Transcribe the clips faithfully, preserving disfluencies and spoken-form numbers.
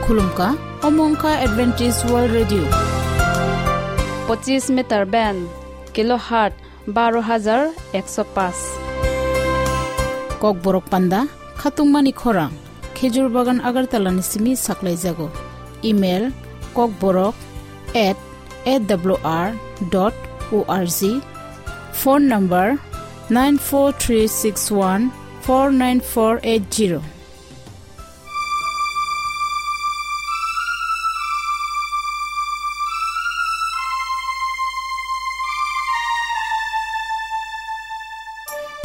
Khulumkha, omo wngkha Adventist World Radio. Pochis meter band, kilohertz baro hajar ekso paanch. Kokborok panda, khatungmani khorang, Khejur Bagan Agartala ni simi saklaijago. Email, kokborok at A W R dot O R G. Phone number, nine four three six one four nine four eight zero.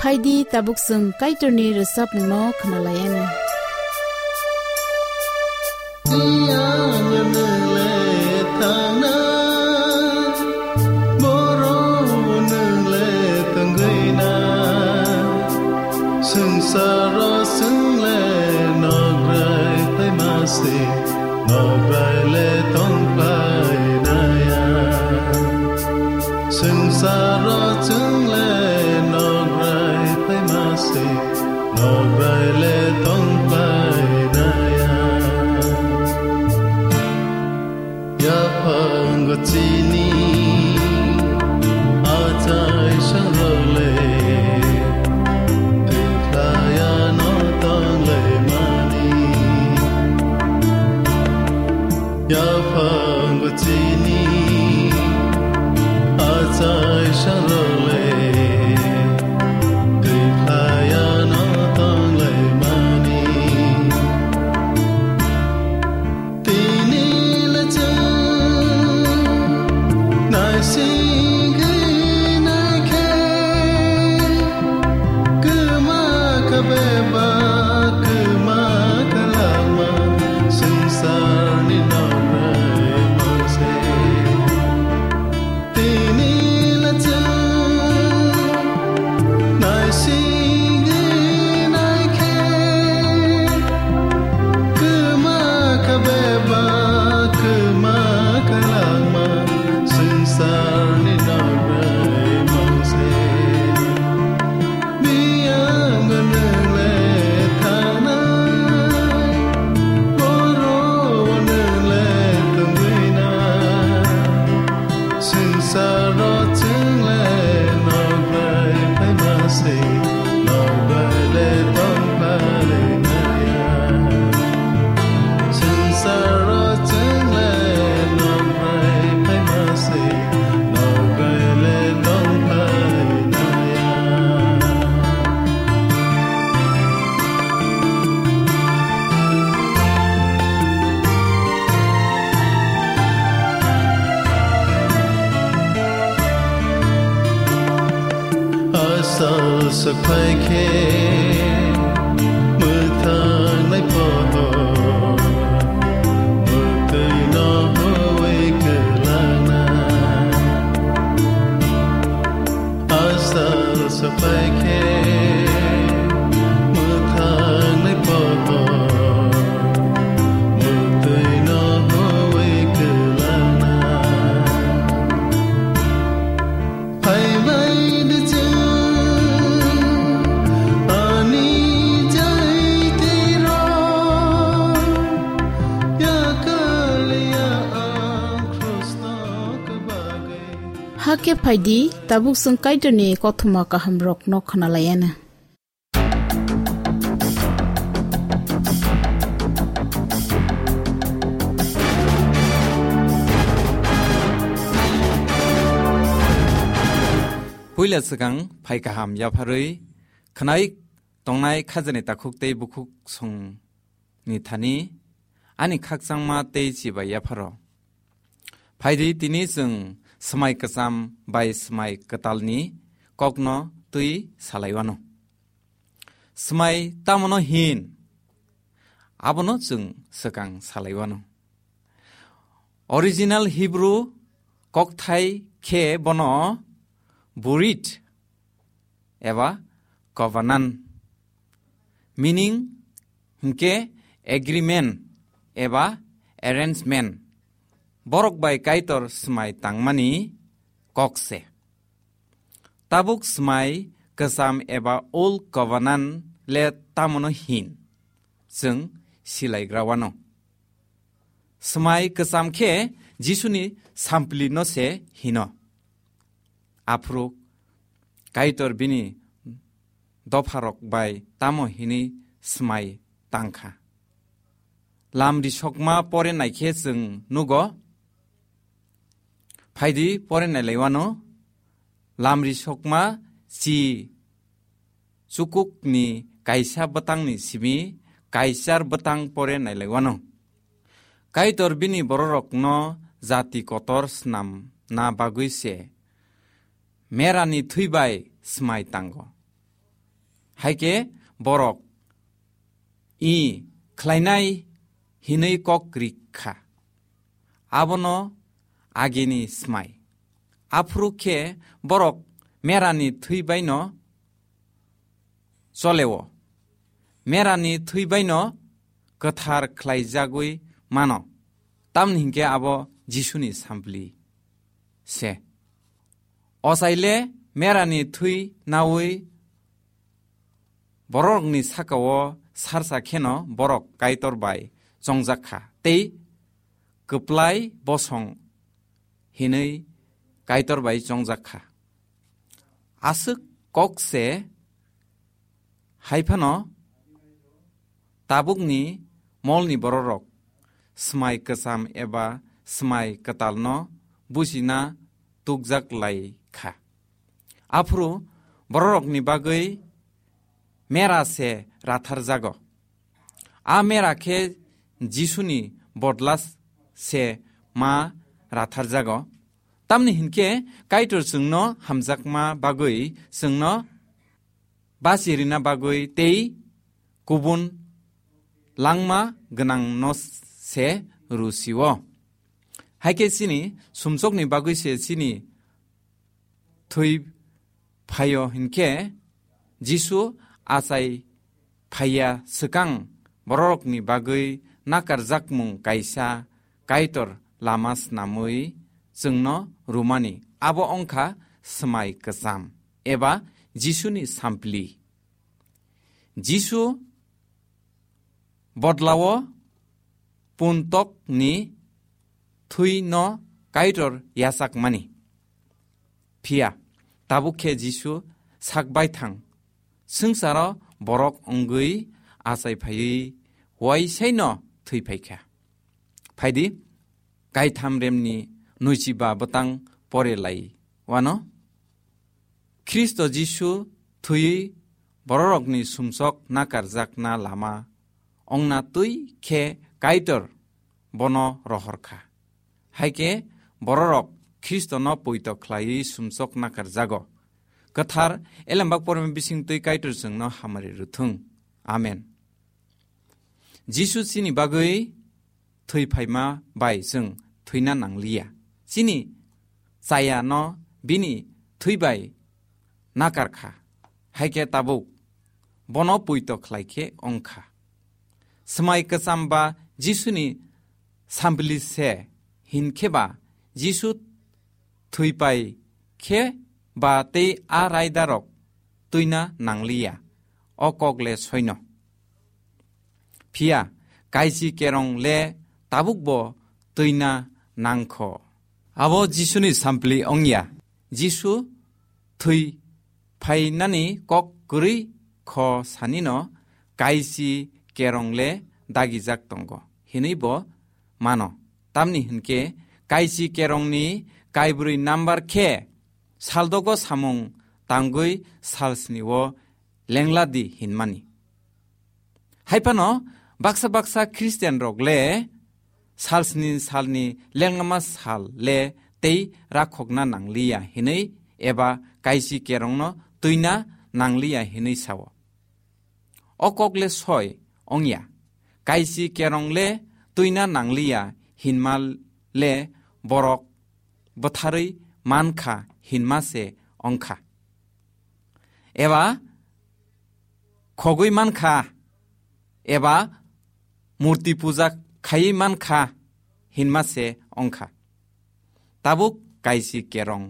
Phaidi tabuk chwng Kaitorni rwchapmungno khwnalaianw. Swngcharo chwng le nograi phaima se, nograi le tong phainaya. Swngcharo chwng le nograi phaima se, nograi le tong phainaya. Yaphango chini achai sangrole, twi khlaiano tonglaimani. Yaphango chini achai sangrole, twi khlaiano tonglaimani. Tini le chwng naisingwi naikhe, kwma kha bebak, kwma kha langma, swngcharni nokrai mangse. Tini le chwng naisingwi naikhe, kwma kha bebak, kwma kha langma, swngcharni nokrai mangse. Biyang nwngle thangnai, boro nwngle tongwinai. Swngcharo chwng le nokrai phaima se, nokrai le tong phainaya. Swngcharo chwng le nokrai phaima se, nokrai le tong phainaya. Asal swphai khe mwthangnai pohor, mwtwi no huwi kwlangna. Asal swphai khe mwthangnai pohor, mwtwi no huwi kwlangna. Phaibai di chwng ani jaitiro, yakal ya ang krusno kwbagwi. Hakhe phaidi, tabuk chwng Kaitorni kothoma kahamrokno khwnalaianw. Puila swkang phai kaham yapharwi khwnai tongnai khajani takhuk tei bukhuk song ni thani ani khakchangma tei chibai yapharo. Phaidi tini chwng swmai kwcham bai swmai kwtalni kokno twi salaiwano. Swmai tamono hin, abono chwng swkang salaiwano. Original Hebrew kokthai khe bono burit eba covenant, meaning hwnkhe agreement eba arrangement, borok bai Kaitor swmai tangmani kok se. Tabuk swmai kwcham eba Old Covenant le tamono hin, chwng silaigra wano. Swmai kwcham khe Jisuni samplino se hino. Aphuru Kaitor bini dopharok bai tamo hinwi swmai tangkha. Lamri sokma pore naikhe chwng nugo. Phaidi pore nailaiwano. Lamri sokma chi chukukni kaisa bwtangni simi kaichar bwtang pore nailaiwano. Kaitor bini bororokno jati kotor snamna bagwi se merani thwi bai swmai tango. Haikhe borok i khlainai hinwi kok rik kha. Abono agini swmai. Aphuru khe borok merani thwi baino choleo. Merani thwi baino kwthar khlaijagwi mano. Tamni hinkhe abo Jisuni sampli se. Ochaile merani thwi naui borokni sakao sarsa kheno borok Kaitor bai chongjak kha tei kwplai bosong hinwi Kaitor bai chongjak kha. Aswk kok se hai phano tabukni molni bororok swmai kwcham eba swmai kwtalno bujina tukjak lai kha. Aphuru bororokni bagwi mera se ratharjago. A mera khe Jisuni bodla se ma ratharjago. Tamni hinkhe Kaitor chwngno hamjakma bagwi, chwngno bachirina bagwi tei kubun langma gwnangno se rw sio. Haikhe chini sumsokni bagwi se chini thwi phaio hinkhe Jisu achai phaiya swkang bororokni bagwi nakarjakmung kaisa Kaitor lama snamwi chwngno rwmani, abo wngkha swmai kwcham eba Jisuni sampli. Jisu bodlao puntokni thwino Kaitor yachakmani. Phiya tabuk khe Jisu sak baithang swngcharo borok wngwi achai phaiwi uaisaino thwi phaikha. Phaidi, kaitham remni nwichiba bwtang pore lai wano. Khristo Jisu thwiwi bororokni sumsok nakarjakna lama ongna twi khe Kaitor bono rohor kha. Haikhe bororok Khristono poito khlaiwi sumsok nakarjago. Kwthar Elembak Pormani bising twi Kaitor chwngno hamari rwthung. Amen. Jisu chini bagwi thwi phaima bai chwng thwina nangliya. Chini chayano bini thwi bai nakar kha. Haikhe tabuk bono poito khlai khe wng kha. Swmai kwcham ba Jisuni sampli se, hinkhe ba Jisu thwi pai khe ba tei a raidarok twina nangliya, o kok le soino. Phiya kaisi kerong le tabukbo twina nangkho. Abo Jisuni sampli wngya. Jisu thwi phainani kok kwrwi kho sanino kaisi kerong le dagijak tongo hinwi bo mano. Tamni hinkhe kaisi kerongni kaibrwi number khe saldogo samung tangwi salsni o lengladi hinmani. Haiphano baksa baksa Christian rok le salsni salni lenglama sal le tei rakhokna nangliya hinwi eba kaisi kerongno twina nangliya hinwi sao. O kok le soi wngya. Kaisi kerong le twina nangliya hinma le borok bwtharwi mankha hinma se wngkha. Eba khogwi mankha, eba murti puja khaiwi mankha hinma se wngkha. Tabuk kaisi kerong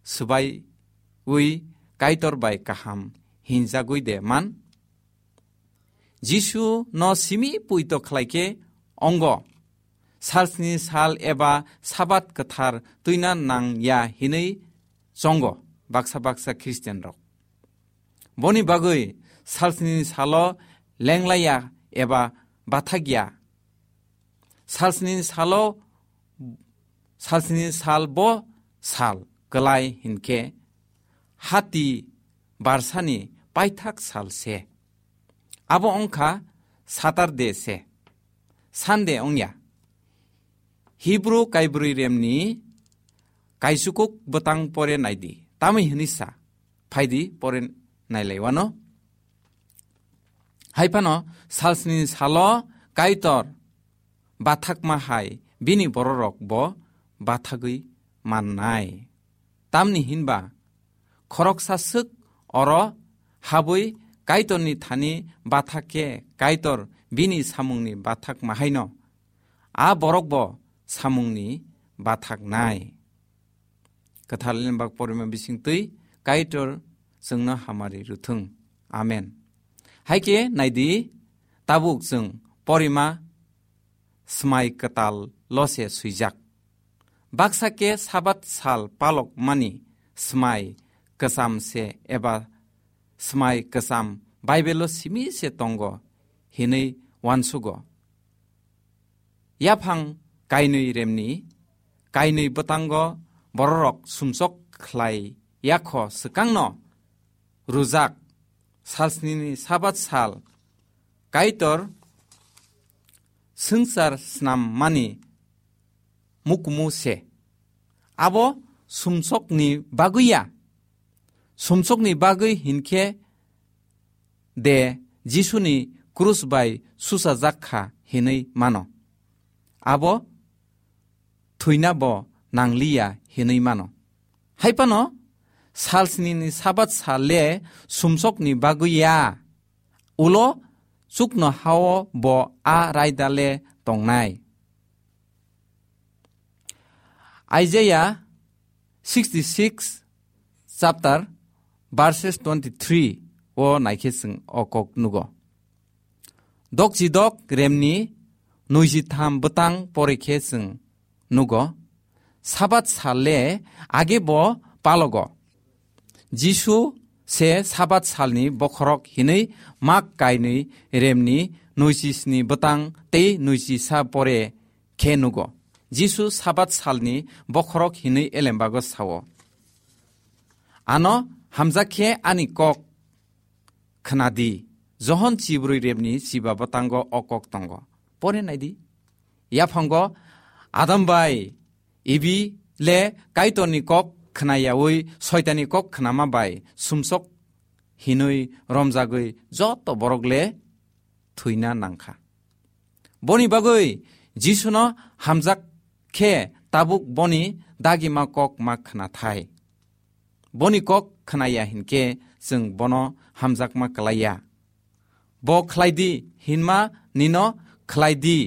swbaiwi Kaitor bai kaham hinjagwi de man? Jisu no simi puito khlai khe ongo. salsni sal eba Sabat kwthar twina nang ya hinwi chongo baksa baksa Khristianrok. Boni bagwi salsni salo lenglaiya eba bathakya. Salsni salo, salsni sal bo sal kwlai hinkhe hati barsani paithak sal se. Abo wngkha Saturday se, Sunday wngya. Hebrew kaibrwi remni kaisukuk bwtang pore naidi. Tamwi hwnwi sa, phaidi pore nailaiwano. Hai phano salsni salo Kaitor bathakma hai bini bororok bo bathagwi mannai. Tamni hinba khoroksa swk oro habwi Kaitorni thani bathak khe Kaitor bini samungni bathakma haino a borok bo samungni bathaknai. Kwthar Lembak porima bisingtwi Kaitor chwngno hamari rwthwng. Amen. Hai khe naidi, tabuk chwng porima swmai kwtal lose swijak. Baksa khe Sabat sal palok mani swmai kwcham se eba swmai kwcham Bible-o simi se tongo hinwi uansugo. Yaphang kainwi remni kainwi bwtango bororok sumsok khlai yakho swkangno rwjak salsnini Sabat sal Kaitor swngchar snam mani mukumu se. Abo sumsokni bagwi ya. Sumsokni bagwi hinkhe de Jisuni krus bai suchajak kha hinwi mano. Abo thwina bo nangliya hinwi mano. Hai phano salsnini Sabat sal le sumsokni bagwi ya. Ulo chukno hao bo a raida le tongnai. Isaiah sixty-six chapter verses twenty-three o naikhe chwng o kok nugo. Dokchi dok remni nui ji tham bwtang pore khe chwng nugo, Sabat sal le age bo palogo. Jisu se Sabat salni bokhorok hinwi Mak kainwi remni nui ji sni bwtang tei nui ji sa pore khe nugo. Jisu Sabat salni bokhorok hinwi elembago sao. Ano hamjak khe ani kok khna di. Johon chibrwi rebni chiba bwtango o kok tongo. Pore nai di. Yaphango Adam bai Ibi le Kaitorni kok khna yaui Soitanni kok khnama bai sumsok hinwi romjagwi joto borok le thwina nangkha. Boni bagwi Jisuno hamjak khe tabuk boni dagima kok ma khna thai. Boni kok khna ya hinkhe chwng bono hamjakma klai ya. Bo khlai di hinma nino khlai di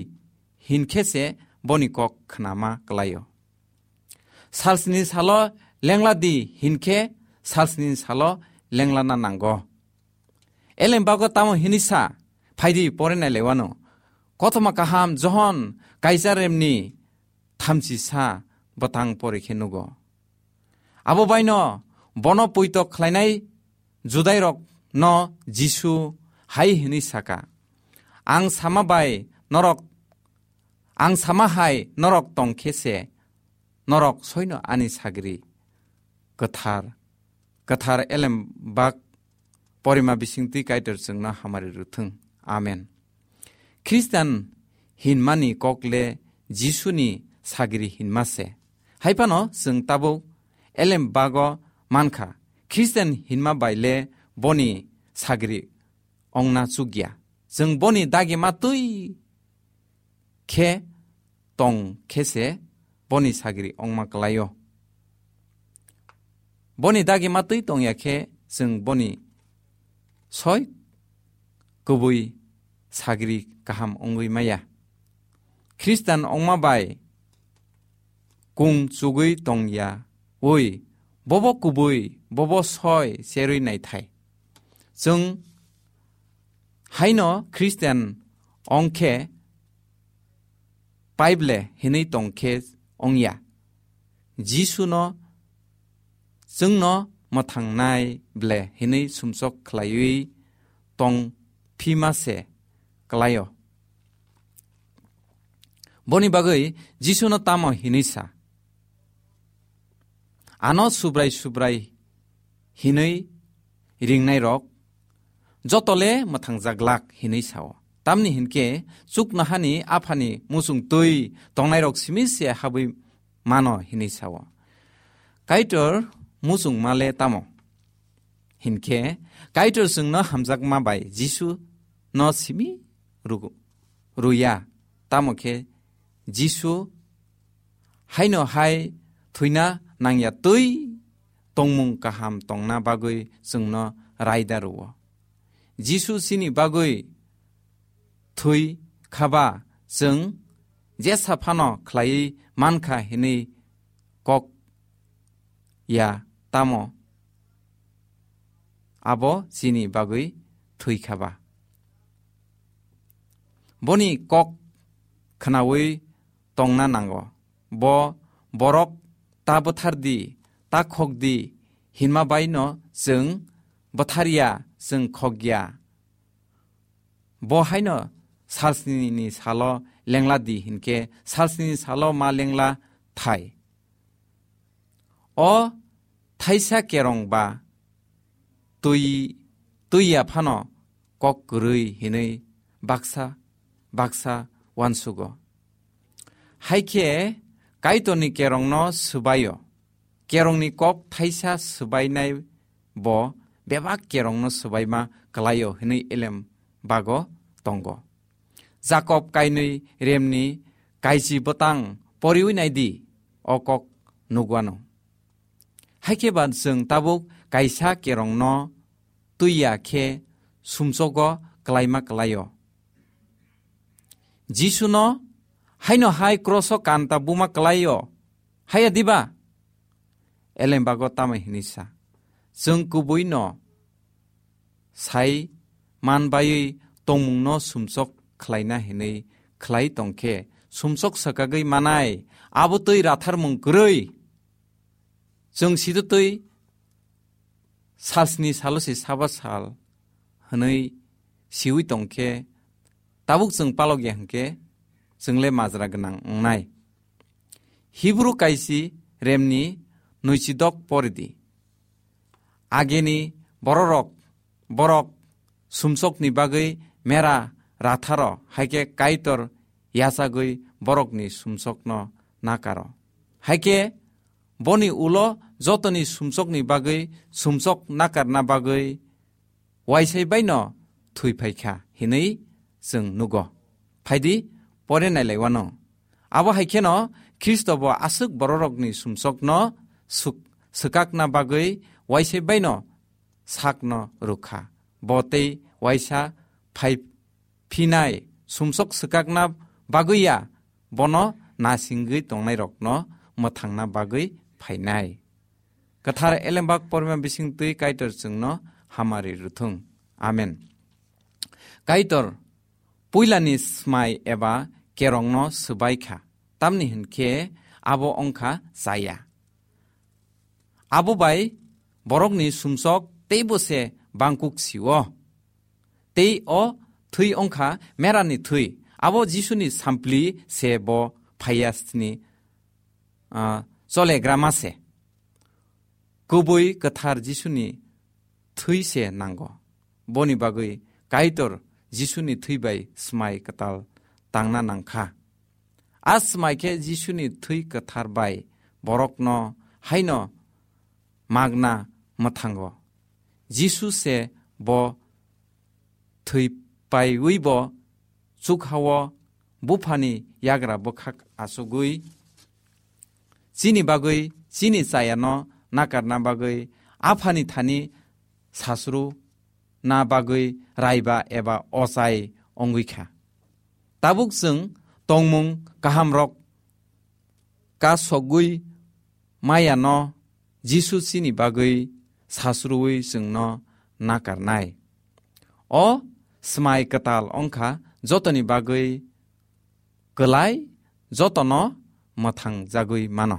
hinkhe se boni kok khnama klai-o. Salsni salo lengla di hinkhe salsni salo lenglana nango. Elembago tamo hini sa, phaidi porinai lewano. Kothoma kaham Johon Kaijaremni thamchi sa bwtang pori khe nugo. Abo baino bono puitok khlainai Judairokno Jisu hai hwnwi saka, "Ang sama bai norok, ang sama hai norok tong khe se norok soino ani sagri kwthar, kwthar elem bak porima bisingtwi Kaitor chwngno hamari rwthwng. Amen." Khristan hinmani kok le Jisuni sagri hinma se. Hai phano chwng tabuk elem bago mankha, Khristan hinma bai le boni sagri ongna chukya. Chwng boni dagima twi khe tong khe se boni sagri ongma klai-o. Boni dagima twi tongya khe chwng boni soi kubui sagri kaham wngwi maya. Khristan ongma bai kung chugwi tongya ui bobo kubui, bobo soi cherwi naithai. Chwng haino Khristian ong khe pai ble hinwi tong khe ongya. Jisuno chwngno mwthangnai ble hinwi sumsok khlaiwi tong phima se klaio. Boni bagwi Jisuno tamo hinwi sa? Ano Subrai Subrai hinwi ringnairok jotole mwthangjaglak hinwi sao. Tamni hinkhe chuknohani Aphani muchung twi tongnairok simi se habwi mano hinwi sao. Kaitor muchungmale tamo? Hinkhe Kaitor chwngno hamjakma bai Jisu no simi rugo-, ruya. Tamo khe Jisu haino hai thwina nangya twi tongmung kaham tongna bagwi chwngno raida rwo. Jisu chini bagwi thwi khaba chwng jesa phano khlaiwi mankha hinwi kok ya tamo abo chini bagwi thwi khaba. Boni kok khnaui tongna nango. Bo borok ta bwthar di, ta khok di hinma bai no chwng bwthar ya, chwng khok ya. Bo haino salsni ni salo lengla di hinkhe salsni ni salo ma lengla thai. O thaisa kerong ba twi, twi ya phano kok kwrwi hinwi baksa baksa uansugo. Hai khe Kaitorni kerongno swbaio. Kerongni kok thaisa swbainai bo bebak kerongno swbaima kwlaio hinwi elem bago tongo. Jakob kainwi remni kaiji bwtang poriwi naidi, o kok nugwano. Hai khe ba chwng tabuk kaisa kerongno twi ya khe sumsogo kwlaima kwlaio. Jisuno haino hai kroso kanta buma kwlaio, haiya diba? Elembago tamo hinwi sa, chwng kubuino sai man baiwi tongmungno sumsok khlaina hinwi khlai tongkhe, sumsok swkagwi manai, abo twi ratharmung kwrwi. Chwng sitwtwi salsni salo se saba sal hwnwi siwi tongkhe, tabuk chwng palok ya hwnkhe, chwngle majra gwnang wngnai. Hibru kaisi remni nwichidok poridi. Ageni bororok, borok sumsokni bagwi mera ratharo, haikhe Kaitor yachagwi borokni sumsokno nakaro. Haikhe boni ulo jotoni sumsokni bagwi sumsok nakarna bagwi waisai baino thwi phaikha hinwi chwng nugo. Phaidi, pore nailaiwano. Abo hai kheno Khristo bo aswk bororokni sumsokno suk-, swkakna bagwi waisai baino sakno rwkha. Bo tei waisa phai phinai sumsok swkakna bagwi ya, bono nasingwi tongnairokno mwthangna bagwi phainai. Kwthar elembak porima bisingtwi Kaitor chwngno hamari rwthung. Amen. Kaitor puilani smai eba kerongno swbai kha, tamni hwn khe abo wng kha chaya. Abo bai borokni sumsok teibo se bangkuk si-o. Tei o thwi wng kha merani thwi, abo Jisuni sampli se bo phaiya sini, ah, cholegrama se. Kubui kwthar Jisuni thwi se nango. Boni bagwi Kaitor Jisuni thwi bai smai kwtal tangna nangkha. A smai khe Jisuni thwi kwthar bai borokno haino magna mwthango. Jisu se bo thwi paiwi bo chukhao buphani yagra bwkhak achugwi chini bagwi chini chayano nakarna bagwi aphani thani sasru na bagwi raiba eba ochai ongwi kha. Tabuk chwng tongmung kahamrok kasogwi mayano Jisu chini bagwi sasruwi chwngno nakarnai. O smai kwtal wngkha jotoni bagwi kwlai jotono mwthangjagwi mano.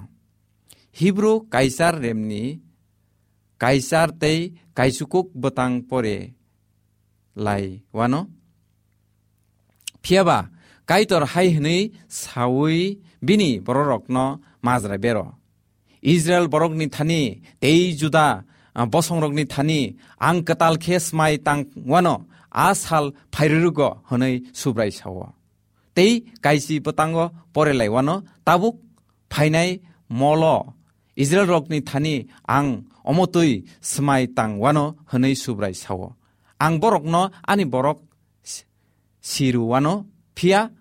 Hibru Kaisar remni Kaisar tei kaisukuk bwtang pore lai wano. Phiya ba Kaitor hai hwnwi saui bini bororokno majra bero, Israil borokni thani tei Juda, ah, bosongrokni thani ang kwtal khe smai tang wano a sal phairwrwgo hwnwi Subrai sao. Tei kaisi bwtango pore lai wano, tabuk phainai molo Israilrokni thani ang omo twi smai tang wano hwnwi Subrai sao. Ang borokno ani borok si-, siru wano, phiya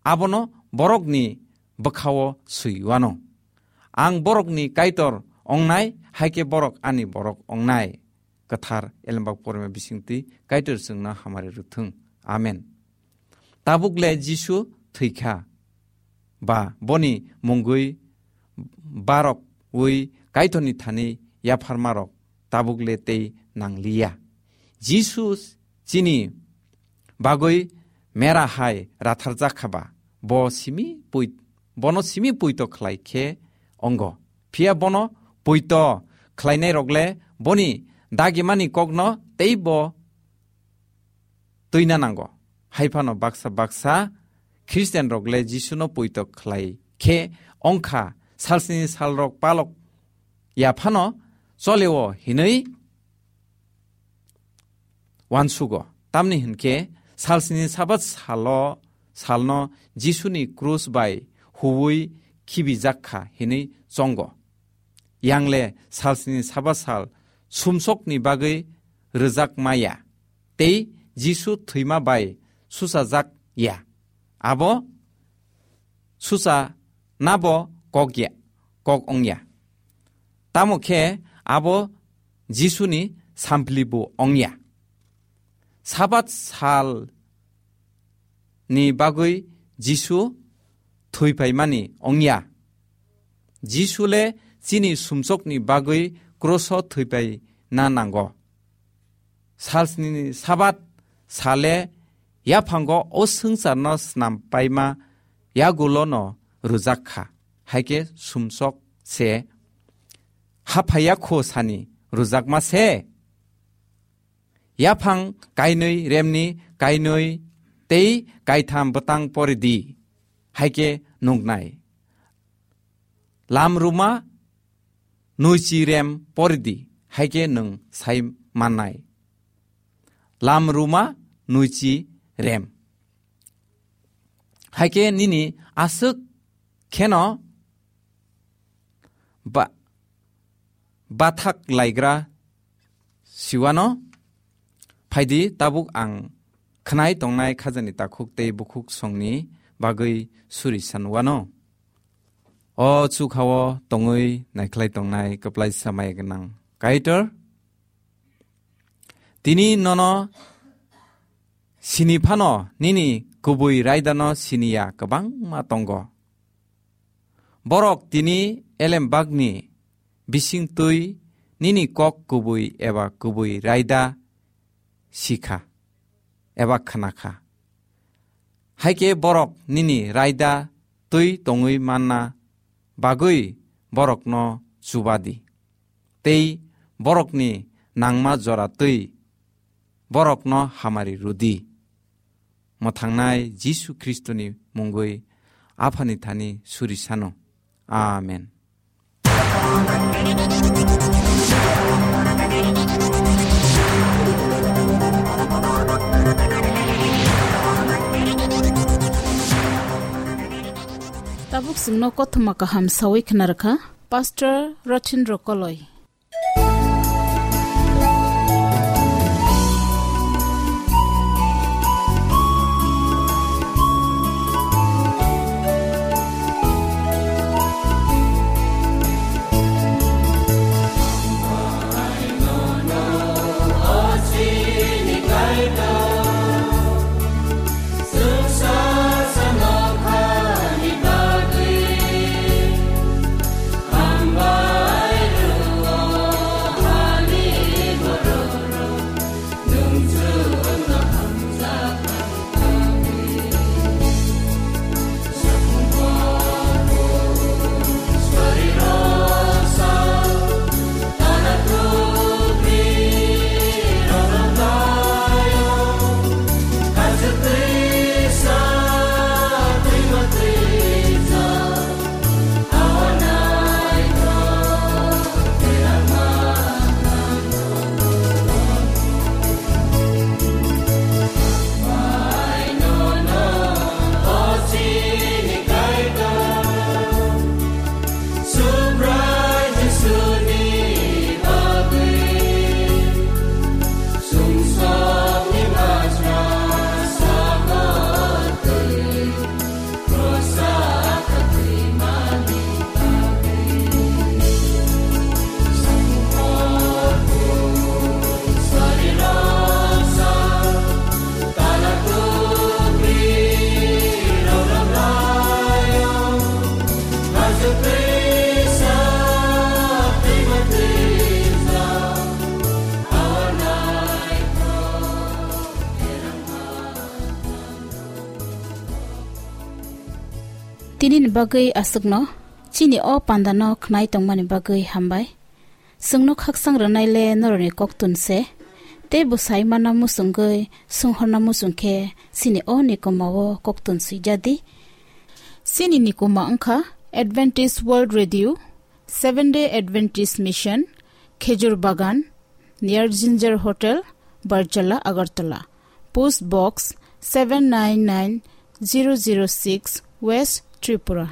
abono borokni bwkhao swi wano. Ang borokni Kaitor ongnai, hai khe borok ani borok ongnai. Kwthar Elembak porima bisingtwi Kaitor chwngno hamari rwthwng. Amen. Tabuk le Jisu thwikha, ba boni mungwi barok wi Kaitorni thani yapharmarok tabuk le tei nangliya. Jisu chini bagwi mera hai ratharjak kha ba, bo simi pui-, bono simi puito khlai khe ongo. Phiya bono puito khlainai rok le boni dagimani kokno tei bo twina nango. Hai phano baksa baksa Christian rok le Jisuno puito khlai khe ongkha, salsni salrok palok ya phano choleo hinwi wansugo. Tamni hinkhe salsni Sabat salo, salno Jisuni krus bai huwi khibijak kha hinwi chongo. Yangle salsni Sabat sal sumsokni bagwi rwjak maya, tei Jisu thwima bai suchajak ya. Abo sucha nabo kok ya, kok ongya. Tamo khe abo Jisuni samplibo ongya. Sabat sal ni bagwi Jisu thwiphaimani ongya. Jisu le chini sumsokni bagwi kroso thwipai na nango. Salsni Sabat sale yaphango o swngcharno snam paima yagulono rwjak kha. Haikhe sumsok se haphaiya kho sani rwjakma se. Yaphang kainwi remni kainwi tei kaitham bwtang pori di, haikhe nuknai. Lam ruma nuichi rem pori di, haikhe nwng sai mannai. Lam ruma nuichi rem. Haikhe nini aswk kheno ba-, bathak laigra siwano phaidi, tabuk ang khnai tongnai khajani takhuk tei bukhuk songni bagwi suri sanwano. O chukhao tongwi naikhlai tongnai kwplaisa maya gwnang Kaitor, tini nono sini phano nini kubui raidano siniya kwbangma tongo. Borok tini elembakni bisingtwi nini kok kubui eba kubui raida sikha eba khnakha. Haikhe borok nini raida twi tongwi manna bagwi borokno chuba di. Tei borokni nangma jora twi borokno hamari rwdi. Mwthangnai Jisu Khristoni mungwi Aphani thani suri sano. Amen. Tabuk chwngno kothoma kaham sawi khna rwkha Pastor Rothin Rokoloi. Nini bagwi aswkno chini o pandano khnai tongmani bagwi hambai. Chwngno khaksang rwnaile norokni koktun se, tei bwsai mana muchungwi swnghorna muchung khe chini o nikoma o koktun swijadi. Chini nikoma wngkha Adventist World Radio, Seventh Day Adventist Mission, Khejur Bagan, near Ginger Hotel, Barjala, Agartala. Post Box seven nine nine zero zero six, West Tripura.